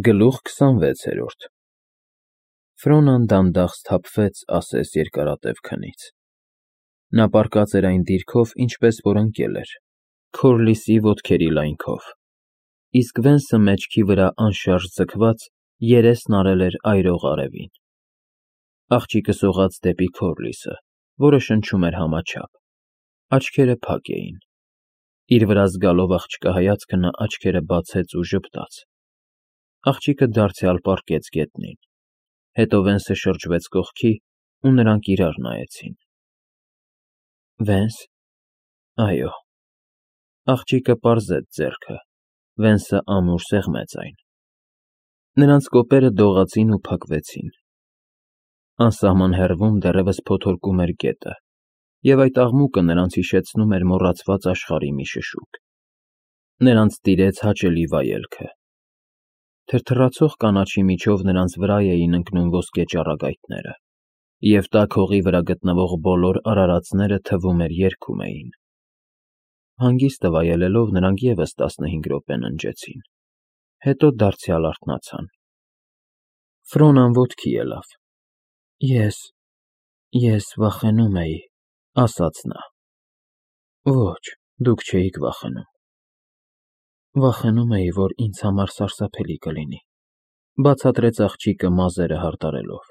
Գլուխ 26 Ֆրոնան դանդաղ սթափվեց ասես երկարատև քնից. նա պառկած էր այն դիրքով, ինչպես որ ընկել էր, Քորլիսի ոտքերի լայնքով, իսկ Վենսը մեջքի վրա անշարժ ձգված երեսն արել էր այրող արևին. աղջիկը սողաց դեպի Քորլիսը, որը շնչում էր համաչափ, աչքերը փակ էին, իր վրա զգալով աղջկա հայացքը նա աչքերը բացեց ու ժպտաց, աղջիկը դարձյալ պառկեց գետնին, հետո Վենսը շրջվեց կողքի ու նրանք իրար նայեցին. Վենս, այո, աղջիկը պարզեց ձեռքը, Վենսը ամուր սեղմեց այն, նրանց կոպերը դողացին ու փակվեցին, անսահման հեռվում դեռևս փոթորկում էր գետը, և այդ աղմուկը նրանց հիշեցնում էր մոռացված աշխարհի մի շշուկ, նրանց տիրեց հաճելի վայելքը, թրթռացող կանաչի միջով նրանց վրա էին ընկնում ոսկե ճառագայթները, և տաք հողի վրա գտնվող բոլոր արարածները թվում էր երգում էին, հանգիստը վայելելով նրանք ևս 15 րոպե ննջեցին, հետո դարձյալ արթնացան, Ֆրոնան ոտքի ելավ, Ես վախենում էի, ասաց նա, ոչ, դուք չէիք վախենում, Վախենում էի, որ ինձ համար սարսափելի կլինի, բացատրեց աղջիկը մազերը հարդարելով,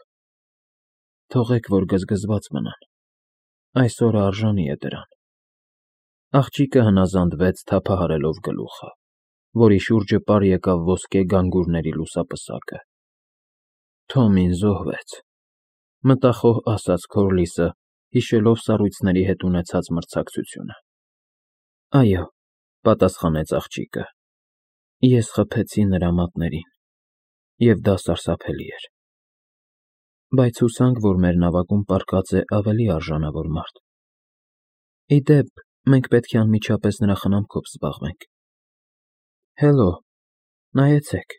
թողեք, որ գզգզված մնան, այս օրը արժանի է դրան, աղջիկը հնազանդվեց թափահարելով գլուխը, որի շուրջը պար եկավ ոսկե գանգուրների լուսապսակը, Թոմին զոհվեց, մտախոհ ասաց Քորլիսը, հիշելով սառույցների հետ ունեցած մրցակցությունը, այո, պատասխանեց աղջիկը, ես խփեցի նրա մատներին, և դա սարսափելի էր, բայց հուսանք, որ մեր նավակում պառկած է ավելի արժանավոր մարդ, ի դեպ, մենք պետք է անմիջապես նրա խնամքով զբաղվենք, հելո, նայեցեք,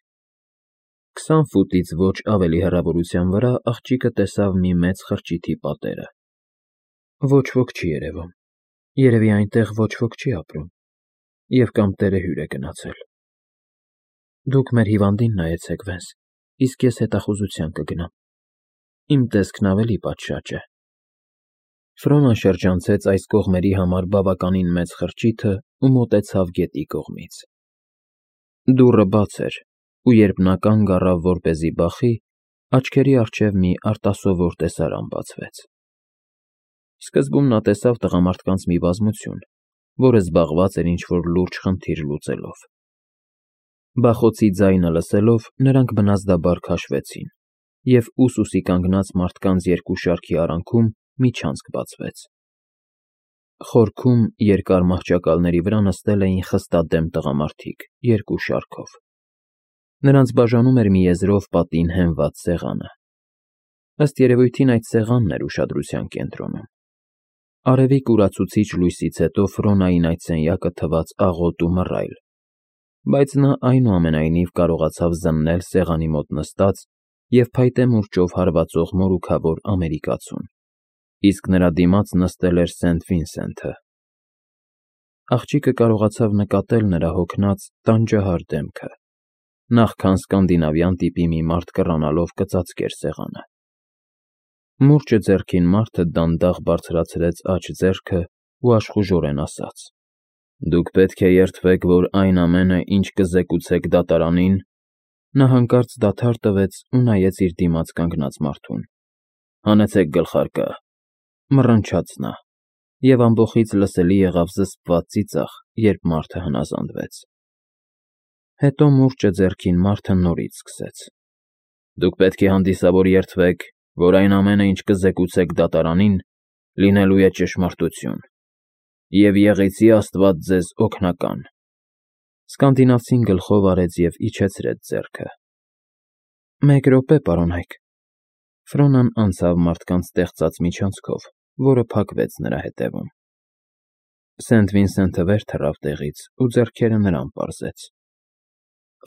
20 ֆուտից ոչ ավելի հեռավորության վրա աղջիկը տեսավ մի մեծ խրճիթի պատերը, ոչ ոք չի երևում, երևի այնտեղ ոչ ոք չի ապրում, և կամ տերը հյուր է գնացել, դուք մեր հիվանդին նայեցեք, Վենս, իսկ ես հետախուզության կգնամ, իմ տեսքն ավելի պատշաճ է, Ֆրոնան շրջանցեց այս կողմերի համար բավականին մեծ խրճիթը ու մոտեցավ գետի կողմից, դուռը բաց էր, ու երբ նա կանգ առավ, որպեսզի բախի, աչքերի առջև մի արտասովոր տեսարան բացվեց, սկզբում նա տեսավ տղամարդկանց մի բազմություն, որը զբաղված էր ինչ-որ լուրջ խնդիր լուծելով, բախոցի ձայնը լսելով, նրանք բնազդաբար քաշվեցին, և ուսուսի կանգնած մարդկանց երկու շարքի արանքում միջանցք բացվեց, խորքում երկար մահճակալների վրա նստել էին խստադեմ տղամարդիկ երկու շարքով, նրանց բաժանում էր մի եզրով պատին հենված սեղանը, ըստ երևույթին այդ սեղանն էր ուշադրության կենտրոնում, արևի կուրացուցիչ լույսից հետո Ֆրոնային այդ սենյակը թվաց աղոտ ու մռայլ, բայց նա այնուամենայնիվ կարողացավ զննել սեղանի մոտ նստած և փայտե մուրճով հարվածող մորուքավոր ամերիկացուն, իսկ նրա դիմաց նստել էր Սենթ Վինսենթը, աղջիկը կարողացավ նկատել նրա հոգնած, տանջահար դեմքը, նախքան սկանդինավյան տիպի մի մարդ կռանալով կծածկեր սեղանը, մուրճը ձեռքին մարդը դանդաղ բարձրացրեց աջ ձեռքը ու աշխուժորեն ասաց. Դուք պետք է երդվեք, որ այն ամենը, ինչ կզեկուցեք դատարանին, նա հանկարծ դադար տվեց ու նայեց իր դիմաց կանգնած մարդուն, հանեցեք գլխարկը, մռնչաց նա, և ամբոխից լսելի եղավ զսպված ծիծաղ, երբ մարդը հնազանդվեց, հետո մուրճը ձեռքին մարդը նորից սկսեց. Դուք պետք է հանդիսավոր երդվեք, որ այն ամենը, ինչ կզեկուցեք դատարանին, լինելու է ճշմարտություն, և եղեցի Աստված ձեզ օգնական, սկանդինավցին գլխով արեց և իջեցրեց ձեռքը, մեկ րոպե, պարոնայք, Ֆրոնան անցավ մարդկանց ստեղծած միջանցքով, որը փակվեց նրա հետևում, Սենթ Վինսենթը վեր թռավ տեղից ու ձեռքերը նրան պարզեց,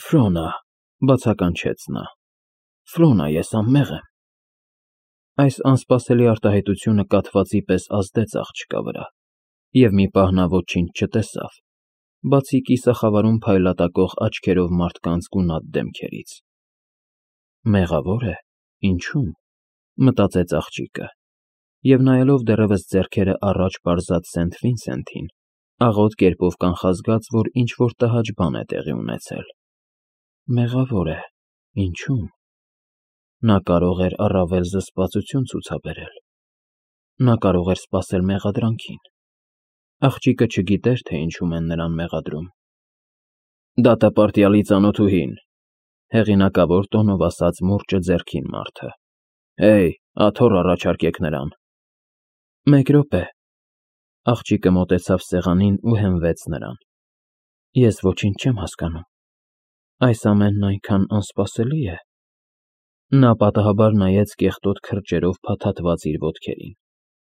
Ֆրոնա, բացականչեց նա, Ֆրոնա, ես անմեղ եմ, այս անսպասելի արտահայտությունը կաթվածի պես ազդեց աղջկա վրա, և մի պահ նա ոչինչ չտեսավ, բացի կիսախավարում փայլատակող աչքերով մարդկանց գունատ դեմքերից, Մեղավոր է։ Ինչու՞մ, մտածեց աղջիկը, և նայելով դեռևս ձեռքերը առաջ պարզած Սենթ Վինսենթին, աղոտ կերպով կանխազգաց, որ ինչ-որ տհաճ բան է տեղի ունեցել։ Մեղավոր է։ Ինչու՞մ։ Նա կարող էր առավել զսպվածություն ցուցաբերել։ Նա կարող էր սպասել մեղադրանքին։ Աղջիկը չգիտեր, թե ինչում են նրան մեղադրում։ Դատապարտյալի ծանոթուհին, հեղինակավոր տոնով ասաց մուրճը ձեռքին մարդը։ Հեյ, աթոռ առաջարկեք նրան։ Մեկ րոպե։ Աղջիկը մոտեցավ սեղանին ու հենվեց նրան։ Ես ոչինչ չեմ հասկանում։ Այս ամենն այնքան անսպասելի է։ Նա պատահաբար նայեց կեղտոտ քրջերով փաթաթված իր ոտքերին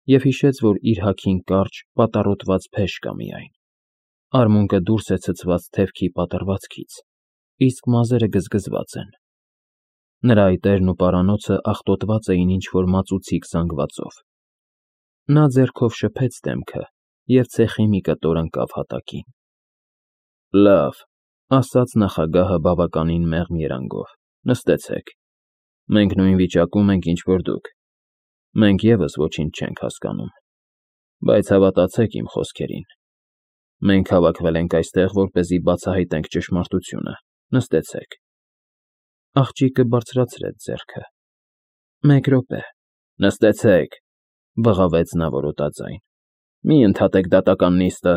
և հիշեց, որ իր հագին կարճ, պատառոտված փեշ կա միայն։ Արմունկը դուրս է ցցված թևքի պատռվածքից, իսկ մազերը գզգզված են։ Նրա այտերն ու պարանոցը աղտոտված էին ինչ-որ մածուցիկ զանգվածով։ Նա ձեռքով շփեց դեմքը և ցեխի մի կտոր ընկավ հատակին։ Լավ, ասաց նախագահը բավականին մեղմ երանգով, նստեցեք։ Մենք նույն վիճակում ենք, ինչ որ դուք։ Մենք ևս ոչինչ չենք հասկանում, բայց հավատացեք իմ խոսքերին։ Մենք հավաքվել ենք այստեղ, որպեսզի բացահայտենք ճշմարտությունը։ Նստեցեք։ Աղջիկը բարձրացրեց ձեռքը։ Մեկ րոպե։ Նստեցեք, բղավեց նա որոտաձայն։ Մի ընդհատեք դատական նիստը։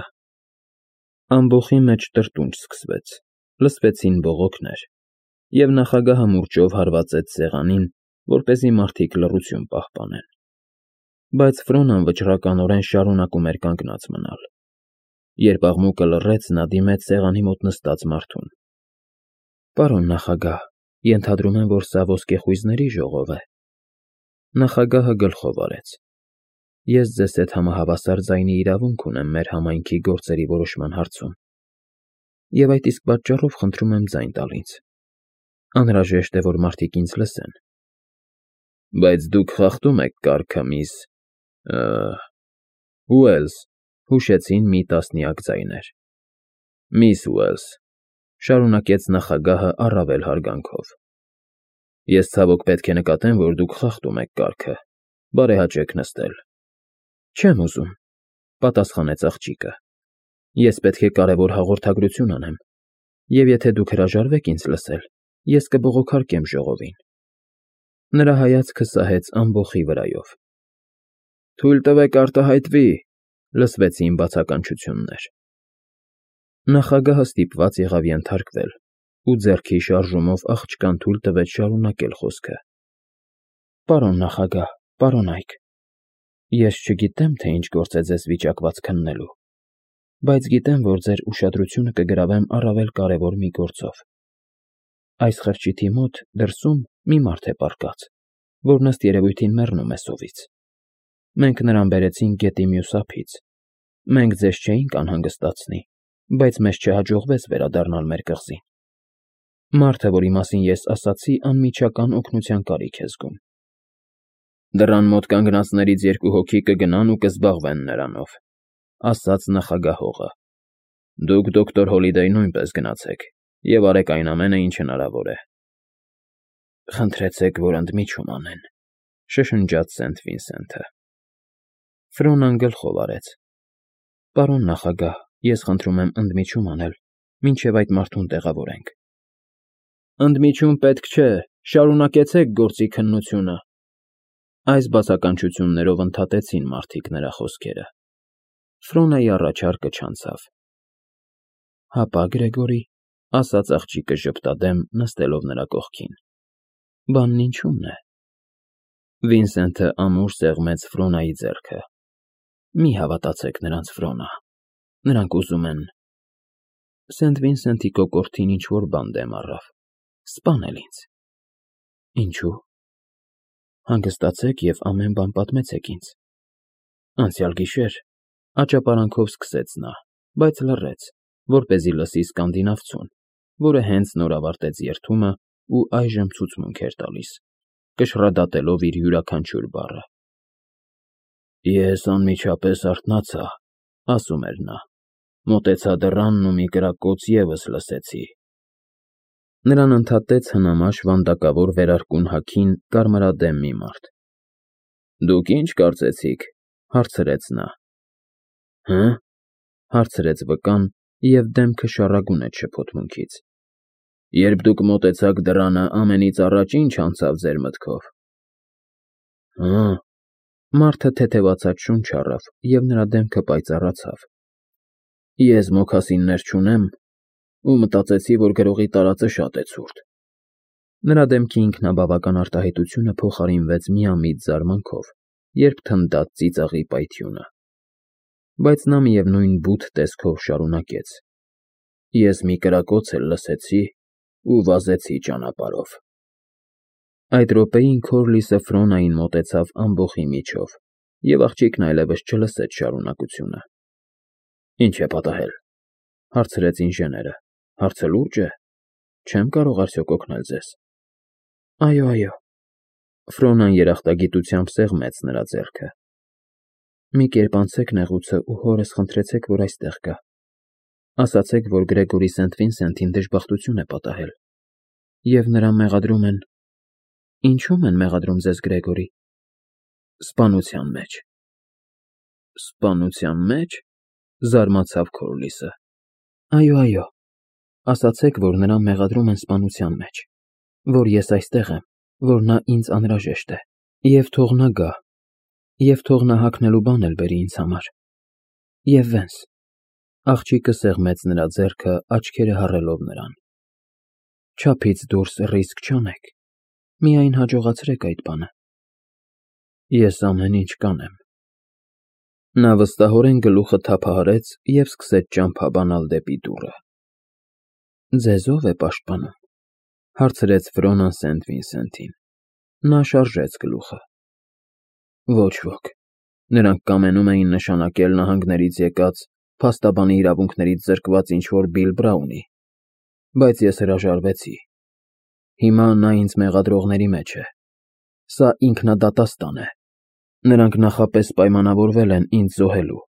Ամբոխի մեջ տրտունջ սկսվեց, լսվեցին բողոքներ, և նախագահը մուրճով հարվածեց սեղանին, որպեսզի մարդիկ լռություն պահպանեն։ Բայց Ֆրոնան վճռականորեն շարունակում էր կանգնած մնալ։ Երբ աղմուկը լռեց, նա դիմեց սեղանի մոտ նստած մարդուն։ Պարոն նախագահ, ենթադրում եմ, որ սա ոսկեխույզների ժողով է։ Նախագահը գլխով արեց։ Ես ձեզ հետ համահավասար ձայնի իրավունք ունեմ մեր համայնքի գործերի որոշման հարցում։ Եվ այդ իսկ պատճառով խնդրում եմ ձայն տալ ինձ։ Անհրաժեշտ է, որ մարդիկ ինձ լսեն։ Բայց դուք խախտում եք կարգը, միս… Ուելս, հուշեցին մի տասնյակ ձայներ։ Միս Ուելս, շարունակեց նախագահը առավել հարգանքով։ Ես ցավոք պետք է նկատեմ, որ դուք խախտում եք կարգը։ Բարեհաճեք նստել։ Չեմ ուզում, պատասխանեց աղջիկը։ Ես պետք է կարևոր հաղորդագրություն անեմ, և եթե դուք հրաժարվեք ինձ լսել, ես կբողոքարկեմ ժողովին։ Նրա հայացքը սահեց ամբոխի վրայով։ Թույլ տվեք արտահայտվի, լսվեցին բացականչություններ։ Նախագահը ստիպված եղավ ենթարկվել ու ձեռքի շարժումով աղջկան թույլ տվեց շարունակել խոսքը։ Պարոն նախագահ, պարոն Այք, ես չգիտեմ, թե ինչ գործ է ձեզ վիճակված քննելու, բայց գիտեմ, որ ձեր ուշադրությունը կգրավեմ առավել կարևոր մի գործով։ Այս խրճիթի մոտ դրսում մի մարդ է պառկած, որն ըստ երևույթին մեռնում է սովից։ Մենք նրան բերեցինք գետի մյուս ափից։ Մենք ձեզ չէինք անհանգստացնի, բայց մեզ չհաջողվեց վերադառնալ մեր կղզին։ Մարդը, որի մասին ես ասացի, անմիջական օգնության կարիք է զգում։ Դռան մոտ կանգնածներից երկու հոգի կգնան ու կզբաղվեն նրանով, ասաց նախագահողը։ Դուք դոկտոր Հոլիդեյ նույնպես գնացեք և արեք այն ամենը, ինչ հնարավոր է։ Խնդրեցեք, որ ընդմիջում անեն, շշնջաց Սենթ Վինսենթը։ Ֆրոնան գլխով արեց։ Պարոն նախագահ, ես խնդրում եմ ընդմիջում անել, մինչև այդ մարդուն տեղավորենք։ Ընդմիջում պետք չէ, շարունակեցեք գործի քննությունը։ Այս բացականչություններով ընդհատեցին մարդիկ նրա խոսքերը։ Ֆրոնայի առաջարկը չանցավ։ Հապա, Գրեգորի, ասաց աղջիկը ժպտադեմ, նստելով նրա կողքին։ Բանն ինչու՞մն է։ Վինսենթը ամուր սեղմեց Ֆրոնայի ձեռքը։ Մի հավատացեք նրանց, Ֆրոնա, նրանք ուզում են… Սենթ Վինսենթի կոկորդին ինչ-որ բան դեմ առավ։ Սպանել ինձ։ Ինչու՞։ Հանգստացեք և ամեն բան պատմեցեք ինձ։ Անցյալ գիշեր աճապարանքով սկսեց նա, բայց լռեց, որպեսզի լսի սկանդինավցուն, որը հենց նոր ավարտեց երդումը ու այժմ ցուցմունք էր տալիս, կշռադատելով իր յուրաքանչյուր բառը։ Ես անմիջապես արթնացա, ասում էր նա, մոտեցա դռանն ու մի կրակոց ևս լսեցի։ Նրան ընդհատեց հնամաշ վանդակավոր վերարկուն հագին կարմրադեմ մի մարդ։ Դուք ինչ կարծեցիք, հարցրեց նա։ Հը՞, հարցրեց վկան, և դեմքը շառագունեց շփոթմունքից։ Երբ դուք մոտեցաք դռանը, ամենից առաջ ինչ անցավ ձեր մտքով։ Հը, մարդը թեթևացած շունչ առավ, և նրա դեմքը պայծառացավ։ Ես մոքասիններ չունեմ, ու մտածեցի, որ գրողի տարածը շատ է ցուրտ։ Նրա դեմքի ինքնաբավական արտահայտությունը փոխարինվեց միամիտ զարմանքով, երբ թնդաց ծիծաղի պայթյունը։ Բայց նա միևնույն բութ տեսքով շարունակեց. Ես մի կրակոց էլ լսեցի ու վազեցի ճանապարհով։ Այդ րոպեին Քորլիսը Ֆրոնային մոտեցավ ամբոխի միջով, և աղջիկն այլևս չլսեց շարունակությունը։ Ինչ է պատահել, հարցրեց ինժեները։ Հարցը լուրջ է։ Չեմ կարող արդյոք օգնել ձեզ։ Այո։ Ֆրոնան երախտագիտությամբ սեղմեց նրա ձեռքը։ Մի կերպ անցեք նեղուցը ու հորս խնդրեցեք, որ այստեղ գա։ Ասացեք, որ Գրեգորի Սենթ-Վինսենթին դժբախտություն է պատահել, և նրան մեղադրում են… Ինչո՞ւմ են մեղադրում ձեզ, Գրեգորի։ Սպանության մեջ։ Սպանության մեջ, զարմացավ Քորլիսը։ Այո, ասացեք, որ նրան մեղադրում են սպանության մեջ, որ ես այստեղ եմ, որ նա ինձ անհրաժեշտ է, և թող նա գա, և թող նա հագնելու բան էլ բերի ինձ համար։ Եվ Վենս… Աղջիկը սեղմեց նրա ձեռքը, աչքերը հառելով նրան։ Չափից դուրս ռիսկ չանեք, միայն հաջողացրեք այդ բանը։ Ես ամեն ինչ կանեմ։ Նա վստահորեն գլուխը թափահարեց և սկսեց ճամփաբանալ դեպի դուռը։ Ձեզ ո՞վ է պաշտպանում, հարցրեց Ֆրոնան Սենթ-Վինսենթին։ Նա շարժեց գլուխը։ Ոչ ոք։ Նրանք կամենում էին նշանակել նահանգներից եկած, փաստաբանի իրավունքներից զրկված ինչ-որ Բիլ Բրաունի, բայց ես հրաժարվեցի։ Հիմա նա ինձ մեղադրողների մեջ է։ Սա ինքնադատաստան է։ Նրանք նախապես պայմանավորվել են ինձ զոհելու։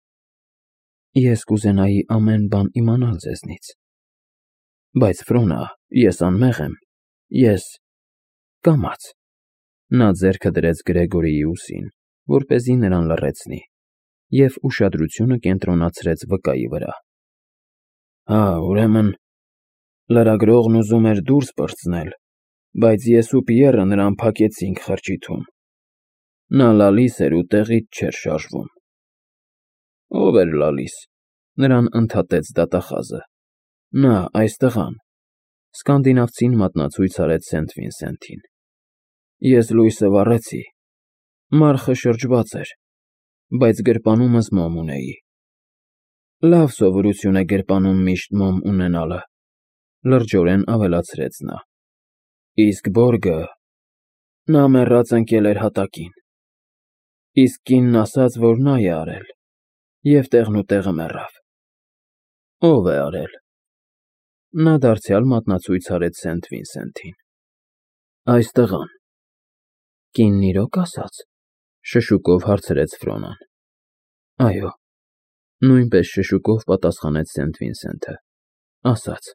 Ես կուզենայի ամեն բան իմանալ ձեզնից։ Բայց Ֆրոնա, ես անմեղ եմ, ես… կամաց… Նա ձեռքը դրեց Գրեգորիի ուսին, որպեսզի նրան լռեցնի, և ուշադրությունը կենտրոնացրեց վկայի վրա։ Հա, ուրեմն, լրագրողն ուզում էր դուրս պրծնել, բայց ես ու Պիեռը նրան փակեցինք խրճիթում։ Նա լալիս էր ու տեղից չէր շարժվում։ Ո՞վ էր լալիս, նրան ընդհատեց դատախազը։ Նա, այս տղան… Սկանդինավցին մատնացույց արեց Սենթ֊Վինսենթին։ Ես լույսը վառեցի։ Մարխը շրջված էր, բայց գրպանումս մոմ ունեի։ Լավ սովորություն է գրպանում միշտ մոմ ունենալը, լրջորեն ավելացրեց նա։ Իսկ Բորգը… նա մեռած ընկել էր հատակին։ Իսկ կինն ասաց, որ նա է արել, և տեղնուտեղը մեռավ։ Ո՞վ է արել։ Նա դարձյալ մատնացույց արեց Սենթ֊Վինսենթին։ Այս տղան։ Կինն իրոք ասաց, շշուկով հարցրեց Ֆրոնան։ Այո, նույնպես շշուկով պատասխանեց Սենթ֊Վինսենթը, ասաց։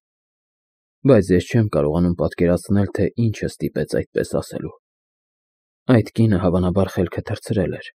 Բայց ես չեմ կարողանում պատկերացնել, թե ինչը ստիպեց այդպես ասելու։ Այդ կինը հավանաբար խելքը թռցրել էր։